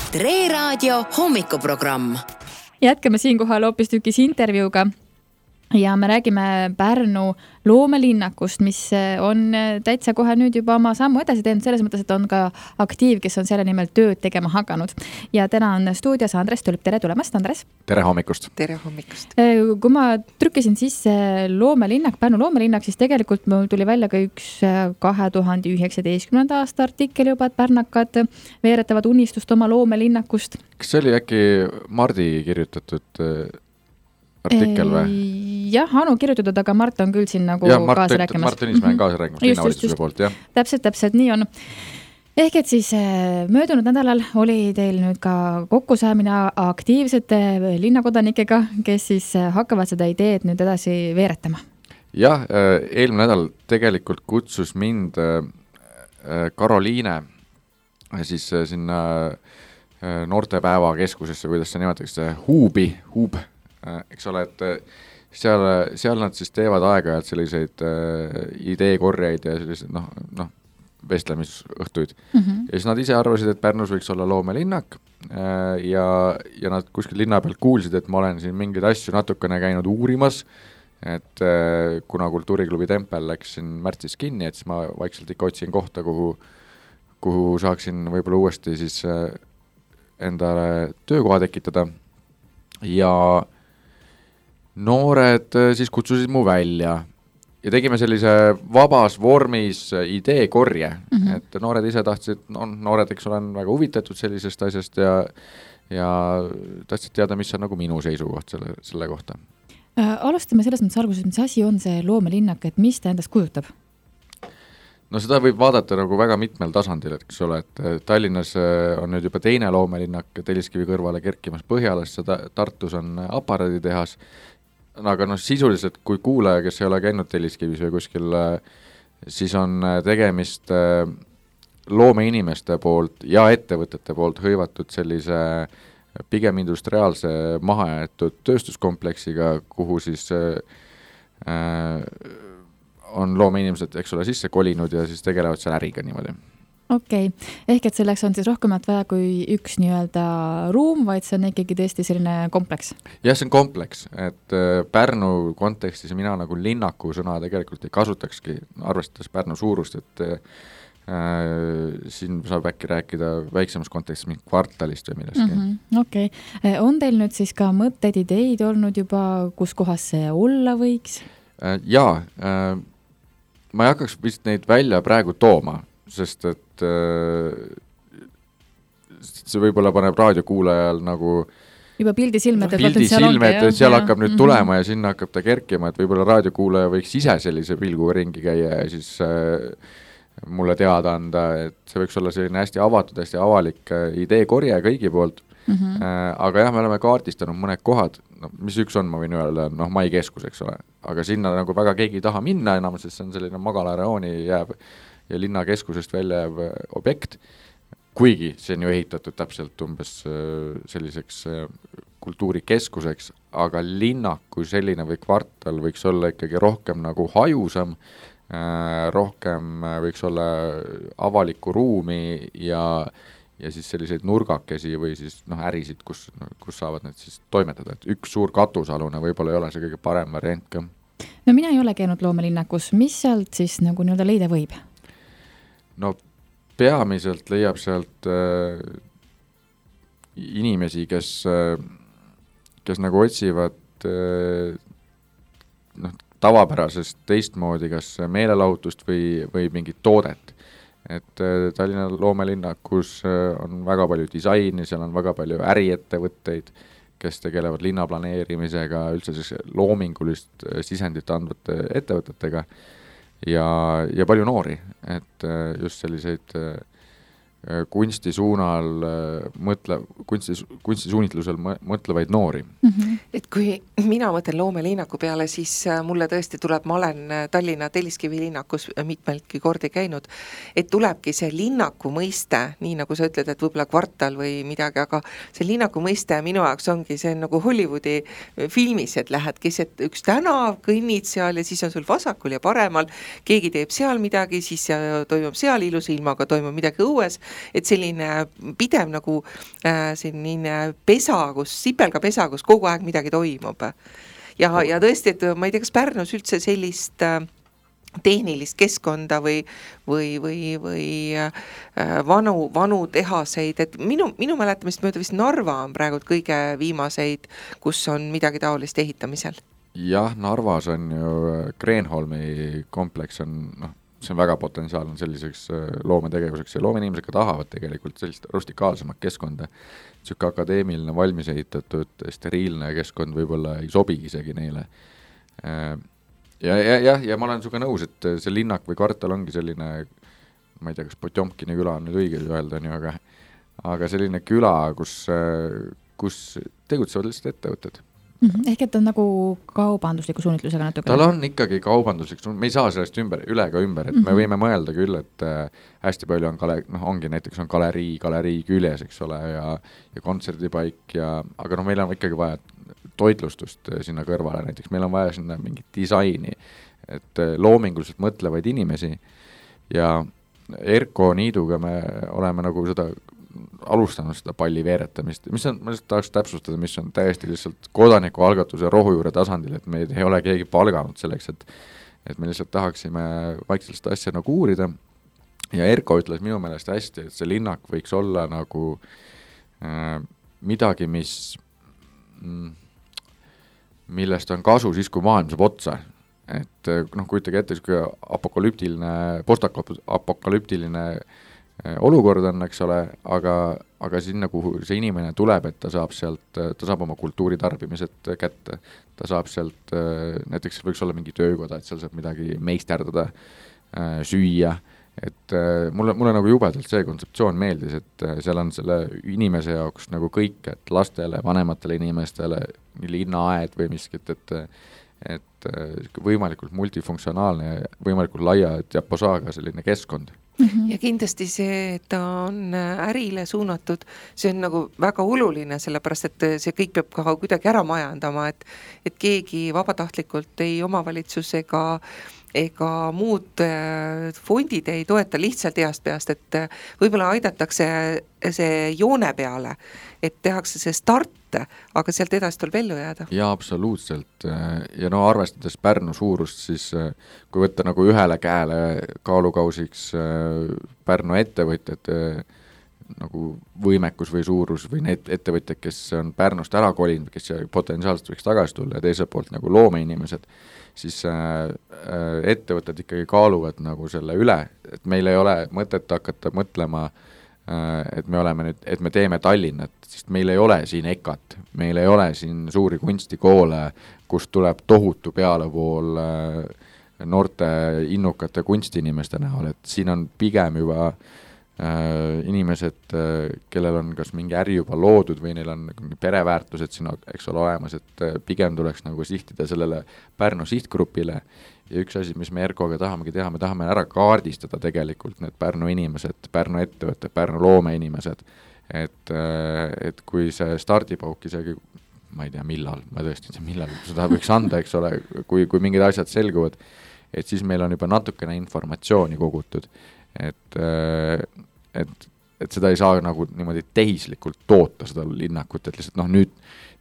Tre Raadio hommikuprogramm. Jätkame siinkohal hoopistükkis intervjuuga ja me räägime Pärnu loomelinnakust, mis on täitsa kohe nüüd juba oma sammu edasi teinud, selles mõttes, et on ka aktiiv, kes on selle nimel tööd tegema hakanud. Ja täna on stuudios Andres Tulp. Tere tulemast, Andres! Tere hommikust! Tere hommikust! Kui ma trükkisin sisse loomelinnak, Pärnu loomelinnak, siis tegelikult mul tuli välja ka üks 2019. aasta artikkel juba, et pärnakad veeretavad unistust oma loomelinnakust. Kas see oli äkki Mardi kirjutatud artikkel või? Jah, Anu kirjutatud, aga Mart on küll siin nagu kaasa rääkimas. Mart Tõnismäe on kaasa rääkimas linnavalitsuse poolt, jah. Täpselt, nii on. Ehk et siis möödunud nädalal oli teil nüüd ka kokkusaamine aktiivsete linnakodanikega, kes siis hakkavad seda ideed nüüd edasi veeretama. Jah, eelmine nädal tegelikult kutsus mind Karoliine siis sinna noortepäeva keskusesse, kuidas see nimetatakse, Huub, eks ole, et seal nad siis teevad aeg-ajalt selliseid ideekorjeid ja selliseid vestlemisõhtuid. Ja siis nad ise arvasid, et Pärnus võiks olla loomelinnak ja nad kuskil linna pealt kuulsid, et ma olen siin mingeid asju natukene käinud uurimas, et kuna kultuuriklubi Tempel läks siin märtsis kinni, et siis ma vaikselt ikka otsin kohta, kuhu saaksin võib-olla uuesti siis endale töökoha tekitada ja noored siis kutsusid mu välja ja tegime sellise vabas vormis ideekorje, et noored ise tahtsid, noored, eks olen väga huvitatud sellisest asjast ja tahtsid teada, mis on nagu minu seisukoht selle kohta. Alustame selles mõttes alguses, mis asi on see loomelinnak, et mis ta endast kujutab? No seda võib vaadata nagu väga mitmel tasandil, et eks ole, et Tallinnas on nüüd juba teine loomelinnak Telliskivi kõrvale kerkimas Põhjalas, Tartus on aparaaditehas, aga sisuliselt kui kuulaja, kes ei ole käinud Telliskivis või kuskil, siis on tegemist loomeinimeste poolt ja ettevõtete poolt hõivatud sellise pigem industriaalse mahajäetud tööstuskompleksiga, kuhu siis on loomeinimesed, eks ole, sisse kolinud ja siis tegelevad seal äriga niimoodi. Okei. Ehk et selleks on siis rohkemat vaja kui üks nii-öelda ruum, vaid see on ikkagi tõesti selline kompleks? Jah, see on kompleks, et Pärnu kontekstis mina nagu linnaku sõna tegelikult ei kasutakski, arvestades Pärnu suurust, et siin saab äkki rääkida väiksemas kontekstis mingi kvartalist või millestki. Okei. On teil nüüd siis ka mõtteid, ideid olnud juba, kus kohas see olla võiks? Jaa, ma ei hakkaks vist neid välja praegu tooma, sest et see võib-olla paneb raadiokuulajal nagu juba pildi silme, et seal hakkab nüüd tulema ja sinna hakkab ta kerkima, et võib-olla raadiokuulaja võiks ise sellise pilguga ringi käia ja siis mulle teada anda, et see võiks olla selline hästi avatud, hästi avalik ideekorje kõigi poolt. Aga jah, me oleme kaardistanud mõned kohad, mis üks on, ma võin öelda, Mai keskus, eks ole, aga sinna nagu väga keegi ei taha minna enam, sest see on selline magalareooni jääb ja linnakeskusest välja jääb objekt, kuigi see on ju ehitatud täpselt umbes selliseks kultuurikeskuseks, aga linnak kui selline või kvartal võiks olla ikkagi rohkem nagu hajusam, rohkem võiks olla avalikku ruumi ja siis selliseid nurgakesi või siis ärisid, kus saavad need siis toimetada, et üks suur katusalune võib-olla ei ole see kõige parem variant ka. No mina ei ole käinud loomelinnakus, mis sealt siis nagu nii-öelda leida võib? No peamiselt leiab sealt inimesi, kes nagu otsivad tavapärasest teistmoodi kas meelelahutust või mingit toodet. Et Tallinna loomelinnakus on väga palju disaini, seal on väga palju äriettevõtteid, kes tegelevad linnaplaneerimisega, üldse siis loomingulist sisendit andvate ettevõtetega ja palju noori, et just selliseid kunstisuunal kunstisuunitlusel mõtlevaid noori. Et kui mina mõtlen loomelinnaku peale, siis mulle tõesti tuleb, ma olen Tallinna Telliskivi linnakus mitmeltki kordi käinud, et tulebki see linnaku mõiste, nii nagu sa ütled, et võib-olla kvartal või midagi, aga see linnaku mõiste minu jaoks ongi see nagu Hollywoodi filmis, et lähed keset üks tänav, kõnnid seal ja siis on sul vasakul ja paremal, keegi teeb seal midagi, siis toimub seal ilusa ilmaga, toimub midagi õues et selline pidev nagu selline pesa, sipelgapesa, kus kogu aeg midagi toimub. Ja tõesti, et ma ei tea, kas Pärnus üldse sellist tehnilist keskkonda või vanu tehaseid, et minu mäletamist mööda vist Narva on praegu kõige viimaseid, kus on midagi taolist ehitamisel. Jah, Narvas on ju Kreenholmi kompleks on, see on väga potentsiaalne selliseks loometegevuseks ja loomeinimesed ka tahavad tegelikult sellist rustikaalsemat keskkonda. Siuke akadeemiline valmis ehitatud steriilne keskkond võib-olla ei sobigi isegi neile. Ja ma olen suga nõus, et see linnak või kvartal ongi selline, ma ei tea, kas Potjomkini küla on nüüd õige öelda, aga selline küla, kus tegutsevad lihtsalt ettevõtted. Ehk et on nagu kaubandusliku suunitlusega natuke? Tal on ikkagi kaubanduslik suunitlusega, me ei saa sellest üle ka ümber, et me võime mõelda küll, et hästi palju on ongi näiteks on galerii küljes, eks ole, ja kontserdipaik, aga meil on ikkagi vaja toitlustust sinna kõrvale, näiteks meil on vaja sinna mingit disaini, et loominguliselt mõtlevaid inimesi ja Erko Niiduga me oleme nagu seda alustanud seda palli veeretamist, mis on, ma lihtsalt tahaks täpsustada, mis on täiesti lihtsalt kodanikualgatuse rohujuure tasandil, et me ei ole keegi palganud selleks, et me lihtsalt tahaksime vaikselt seda asja nagu uurida ja Erko ütles minu meelest hästi, et see linnak võiks olla nagu midagi, millest on kasu siis, kui maailm saab otsa. Et kujutage ette, kui postapokalüptiline olukord on, eks ole, aga sinna, kuhu see inimene tuleb, et ta saab oma kultuuritarbimised kätte, ta saab sealt, näiteks võiks olla mingi töökoda, et seal saab midagi meisterdada, süüa, et mulle nagu jubedalt see kontseptsioon meeldis, et seal on selle inimese jaoks nagu kõik, et lastele, vanematele inimestele, linnaaed või miskit, et võimalikult multifunktsionaalne ja võimalikult laia diaposaaga selline keskkond. Ja kindlasti see, et ta on ärile suunatud, see on nagu väga oluline, sellepärast et see kõik peab ka kuidagi ära majandama, et keegi vabatahtlikult ei omavalitsus ega muud fondid ei toeta lihtsalt heast peast, et võib-olla aidatakse see joone peale, et tehakse see start, aga sealt edasi tuleb ellu jääda. Jaa, absoluutselt. Ja arvestades Pärnu suurust, siis kui võtta nagu ühele käele kaalukausiks Pärnu ettevõtjad, nagu võimekus või suurus või need ettevõtjad, kes on Pärnust ära kolinud, kes potentsiaalselt võiks tagasi tulla ja teiselt poolt nagu loomeinimesed, siis ettevõtted ikkagi kaaluvad nagu selle üle, et meil ei ole mõtet hakata mõtlema, et me teeme Tallinnat, sest meil ei ole siin EKAT, meil ei ole siin suuri kunstikoole, kus tuleb tohutu pealevool noorte innukate kunstiinimeste näol, et siin on pigem juba inimesed, kellel on kas mingi äri juba loodud või neil on pereväärtused siin, eks ole, olemas, et pigem tuleks nagu sihtida sellele Pärnu sihtgrupile ja üks asi, mis me Erkoga tahamegi teha, me tahame ära kaardistada tegelikult need Pärnu inimesed, Pärnu ettevõtted, Pärnu loomeinimesed, et kui see stardipauk isegi, ma ei tea millal, ma tõesti ei tea millal seda võiks anda, eks ole, kui mingid asjad selguvad, et siis meil on juba natukene informatsiooni kogutud, et seda ei saa nagu niimoodi tehislikult toota seda linnakut, et lihtsalt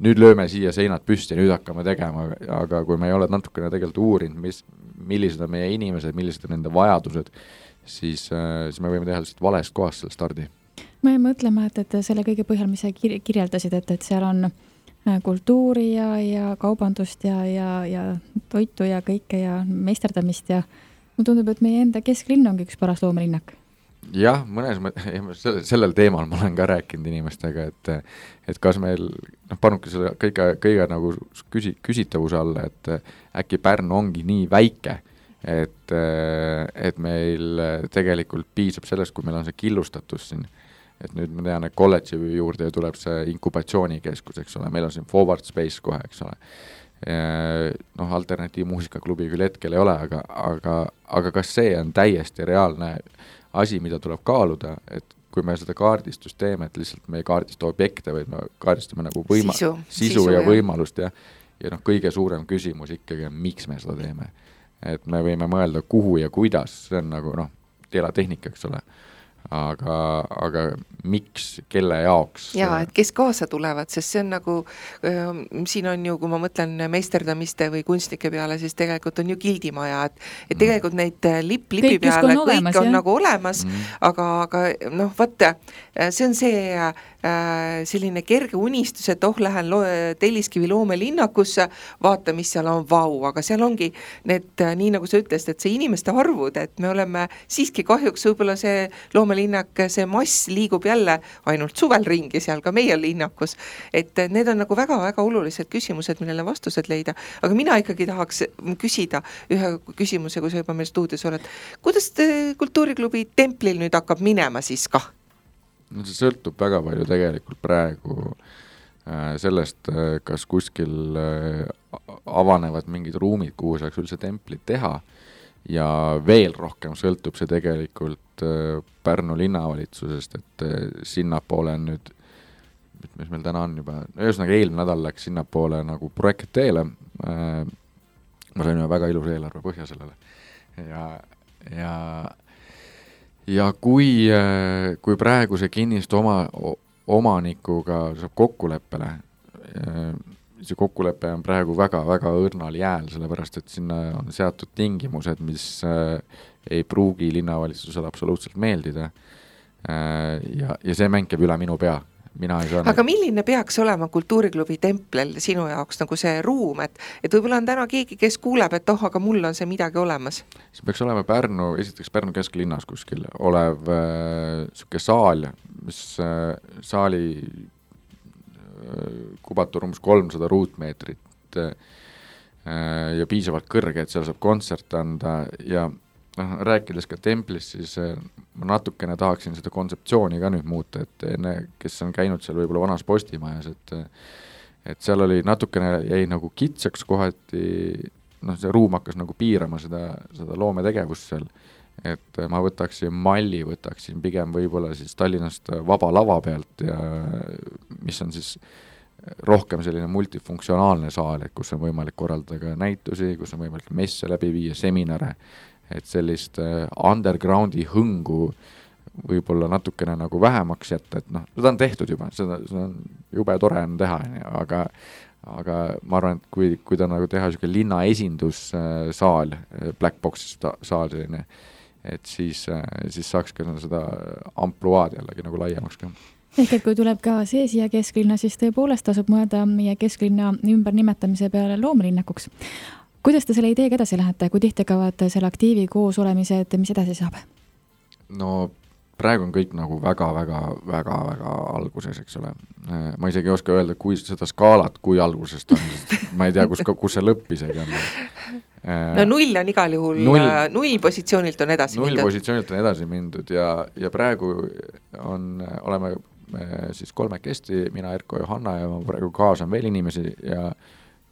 nüüd lööme siia seinad püsti ja nüüd hakkame tegema, aga kui me ei ole natukene tegelikult uurinud, millised on meie inimesed, millised on nende vajadused, siis me võime teha lihtsalt valest kohast selle stardi. Ma ei mõtlema, et selle kõige põhjal, mis sa kirjeldasid, et seal on kultuuri ja kaubandust ja toitu ja kõike ja meisterdamist ja mulle tundub, et meie enda kesklinn ongi üks paras loomelinnak. Jah, sellel teemal ma olen ka rääkinud inimestega, et kas meil, panuke selle kõige nagu küsitavuse alla, et äkki Pärnu ongi nii väike, et meil tegelikult piisab sellest, kui meil on see killustatus siin, et nüüd ma tean, et kolledži juurde tuleb see inkubatsioonikeskus, eks ole, meil on siin Forward Space kohe, eks ole. Alternatiivmuusikaklubi küll hetkel ei ole, aga kas see on täiesti reaalne asi, mida tuleb kaaluda, et kui me seda kaardistust teeme, et lihtsalt me ei kaardista objekte, vaid me kaardistame nagu sisu ja võimalust ja kõige suurem küsimus ikkagi on, miks me seda teeme. Et me võime mõelda, kuhu ja kuidas, see on nagu teelatehnika, eks ole. aga miks, kelle jaoks? Jaa, et kes kaasa tulevad, sest see on nagu, siin on ju, kui ma mõtlen meisterdamiste või kunstnike peale, siis tegelikult on ju gildimaja, et tegelikult neid lipi peale kõik on nagu olemas, aga noh, vaata, see on see selline kerge unistus, et lähen Telliskivi loomelinnakusse, vaata, mis seal on, vau, aga seal ongi need, nii nagu sa ütlesid, et see inimeste arvud, et me oleme siiski kahjuks võib-olla see loomelinnak, see mass liigub jälle ainult suvel ringi seal ka meie linnakus, et need on nagu väga-väga olulised küsimused, millele vastused leida, aga mina ikkagi tahaks küsida ühe küsimuse, kui sa juba meil stuudios oled, kuidas kultuuriklubi Templil nüüd hakkab minema siis kah? No see sõltub väga palju tegelikult praegu sellest, kas kuskil avanevad mingid ruumid, kuhu saaks üldse templit teha ja veel rohkem sõltub see tegelikult Pärnu linnavalitsusest, et sinnapoole on nüüd, mis meil täna on juba, ühesõnaga eelmine nädal läks sinnapoole nagu projekt teele, ma sain väga ilus eelarve põhja sellele ja kui praegu see kinnistu omanikuga saab kokkuleppele, see kokkulepe on praegu väga-väga õrnal jääl, sellepärast et sinna on seatud tingimused, mis ei pruugi linnavalitsusele absoluutselt meeldida ja see mäng käib üle minu pea. Aga milline peaks olema kultuuriklubi Templil sinu jaoks nagu see ruum, et võib-olla on täna keegi, kes kuuleb, et aga mul on see midagi olemas? See peaks olema esiteks Pärnu kesklinnas kuskil olev siuke saal, mis saali kubatur umbes 300 ruutmeetrit ja piisavalt kõrge, et seal saab kontsert anda ja rääkides ka Templist, siis ma natukene tahaksin seda kontseptsiooni ka nüüd muuta, et enne, kes on käinud seal võib-olla vanas postimajas, et seal oli natukene jäi nagu kitsaks kohati, see ruum hakkas nagu piirama seda loometegevust seal, et ma võtaksin pigem võib-olla siis Tallinnast Vaba lava pealt ja mis on siis rohkem selline multifunktsionaalne saal, et kus on võimalik korraldada ka näitusi, kus on võimalik messe läbi viia, seminare, et sellist undergroundi hõngu võib-olla natukene nagu vähemaks jätta, et seda on tehtud juba, seda on jube tore on teha, aga ma arvan, et kui ta nagu teha selline linna esindussaal, Black Box saal selline, et siis saaks ka seda ampluaad jällegi nagu laiemaks ka. Ehk et kui tuleb ka see siia kesklinna, siis tõepoolest tasub mõelda meie kesklinna ümber nimetamise peale loomelinnakuks. Kuidas te selle ideega edasi lähete, kui tihti kavad selle aktiivi koos olemised, mis edasi saab? No praegu on kõik nagu väga-väga alguses, eks ole. Ma isegi ei oska öelda, kui seda skaalat, kui algusest on, ma ei tea, kus see lõpp isegi on. No 0 on igal juhul, 0 positsioonilt on edasi mindud. 0 positsioonilt on edasi mindud ja praegu oleme siis 3 mina, Erko, Johanna ja ma praegu kaasan veel inimesi ja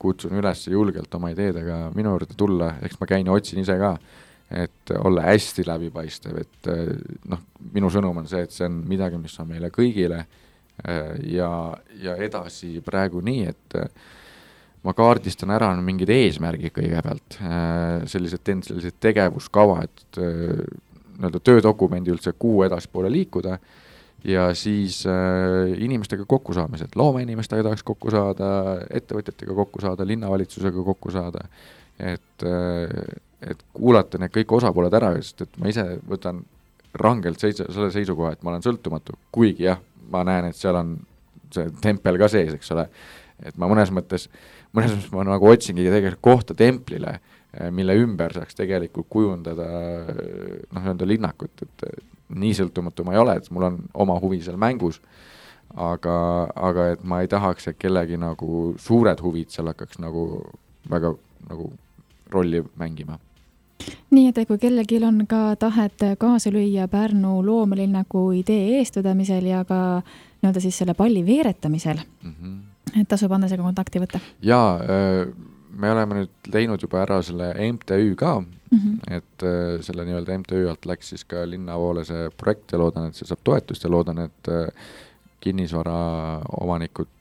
kutsun üles julgelt oma ideedega minu juurde tulla, eks ma käin ja otsin ise ka, et olla hästi läbipaistev, et minu sõnum on see, et see on midagi, mis on meile kõigile ja edasi praegu nii, et ma kaardistan ära mingid eesmärgid kõigepealt, sellised tegevuskava, et töödokumendi üldse kuu edaspoole liikuda ja siis inimestega kokku saamised, loomeinimestega tahaks kokku saada, ettevõtjatega kokku saada, linnavalitsusega kokku saada, et kuulata need kõik osapooled ära, sest et ma ise võtan rangelt selle seisukoha, et ma olen sõltumatu, kuigi jah, ma näen, et seal on see tempel ka sees, eks ole, et ma mõnes mõttes ma nagu otsingi tegelikult kohta templile, mille ümber saaks tegelikult kujundada linnakut, et nii sõltumatu ma ei ole, et mul on oma huvi seal mängus, aga et ma ei tahaks, et kellegi nagu suured huvid seal hakkaks nagu väga nagu rolli mängima. Nii, et kui kellelgi on ka tahet kaasa lüüa Pärnu loomelinnaku idee eestvedamisel ja ka siis selle palli veeretamisel, et tasub anda selle kontakti võtta? Jaa, me oleme nüüd teinud juba ära selle MTÜ ka, et selle nii-öelda MTÜ alt läks siis ka linnavoole see projekt ja loodan, et see saab toetust ja loodan, et kinnisvara omanikud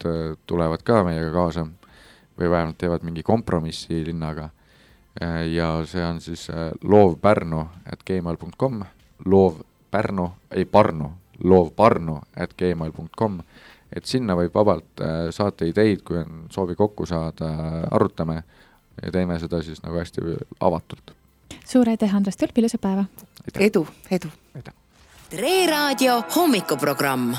tulevad ka meiega kaasa või vähemalt teevad mingi kompromissi linnaga ja see on siis loovpärnu@gmail.com, loovparnu@gmail.com, et sinna võib vabalt saata ideid, kui on soovi kokku saada, arutame ja teeme seda siis nagu hästi avatult. Suur aitäh, Andres Tulp, ilusat päeva! Edu! Tre Raadio hommikuprogramm.